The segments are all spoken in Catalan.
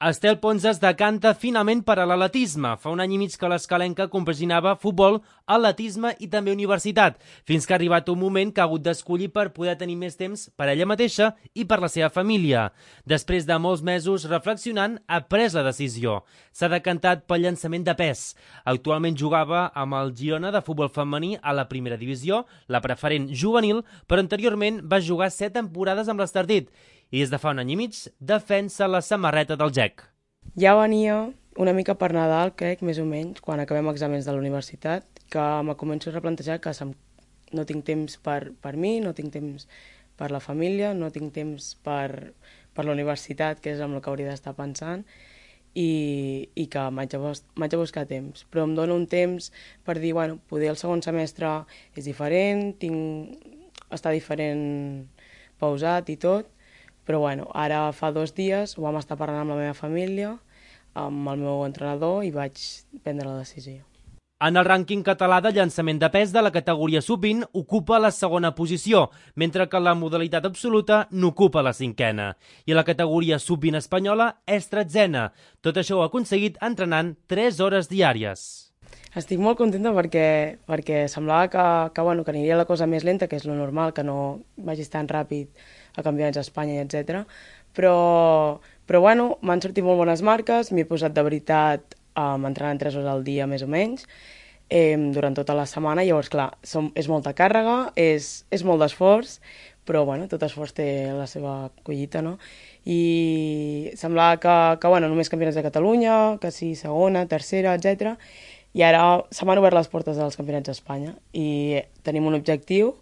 Estel Pons es decanta finalment per a l'atletisme. Fa un any i mig que l'escalenca compaginava futbol, atletisme i també universitat, fins que ha arribat un moment que ha hagut d'escollir per poder tenir més temps per ella mateixa i per la seva família. Després de molts mesos reflexionant, ha pres la decisió. S'ha decantat pel llançament de pes. Actualment jugava amb el Girona de futbol femení a la primera divisió, la preferent juvenil, però anteriorment va jugar 7 temporades amb l'Estartit i des de fa un any i mig defensa la samarreta del GEC. Ja venia una mica per Nadal, crec, més o menys, quan acabem exàmens de la universitat, que me començo a replantejar que no tinc temps per mi, no tinc temps per la família, no tinc temps per la universitat, que és amb el que hauria d'estar pensant, i que m'haig de buscar temps. Però em dona un temps per dir, bueno, poder el segon semestre és diferent, està diferent pausat i tot, però bueno, ara fa 2 dies ho vam estar parlant amb la meva família, amb el meu entrenador, i vaig prendre la decisió. En el rànquing català de llançament de pes de la categoria sub-20 ocupa la segona posició, mentre que la modalitat absoluta n'ocupa la 5a. I la categoria sub-20 espanyola és 13a. Tot això ho ha aconseguit entrenant 3 hores diàries. Estic molt contenta perquè semblava que aniria la cosa més lenta, que és lo normal, que no vagis tan ràpid a campionats d'Espanya, etc. Però bueno, m'han sortit molt bones marques, m'he posat de veritat entrenant 3 hores al dia, més o menys, durant tota la setmana. Llavors, clar, és molta càrrega, és molt d'esforç, però bueno, tot esforç té la seva collita, no? I semblava que només campionats de Catalunya, que sí, segona, tercera, etc. I ara se m'han obert les portes dels campionats d'Espanya i tenim un objectiu,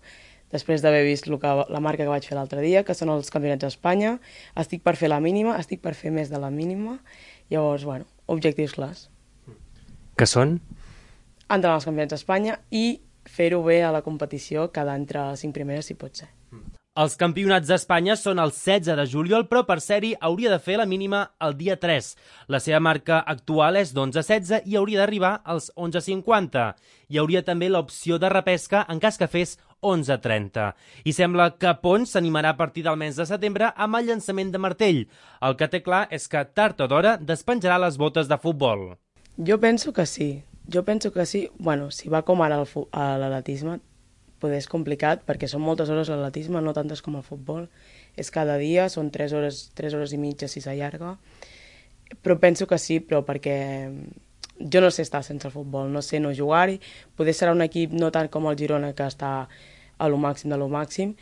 després d'haver vist la marca que vaig fer l'altre dia, que són els campionats d'Espanya. Estic per fer la mínima, estic per fer més de la mínima. Llavors, bueno, objectius clars. Que són? Entrar als campionats d'Espanya i fer-ho bé a la competició, quedar entre les 5 primeres, si pot ser. Els campionats d'Espanya són el 16 de juliol, però per ser-hi hauria de fer la mínima el dia 3. La seva marca actual és d'11.16 i hauria d'arribar als 11.50. Hi hauria també l'opció de repesca en cas que fes 11.30. I sembla que Pons s'animarà a partir del mes de setembre amb el llançament de martell. El que té clar és que tard o d'hora despenjarà les botes de futbol. Jo penso que sí. Bueno, si va com ara a l'atletisme, poder és complicat, perquè són moltes hores l'atletisme, no tantes com el futbol. És cada dia, són 3 hores i mitja si s'allarga. Però penso que sí, però perquè jo no sé estar sense el futbol, no sé no jugar-hi. Poder serà un equip no tant com el Girona, que està a lo màxim de lo màxim.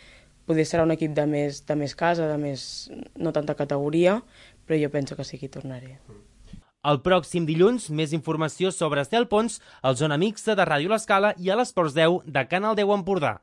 Poder serà un equip de més casa, no tanta categoria, però jo penso que sí que hi tornaré. El pròxim dilluns, més informació sobre Estel Pons, al Zona Mixta de Ràdio L'Escala i a l'Esports 10 de Canal 10 Empordà.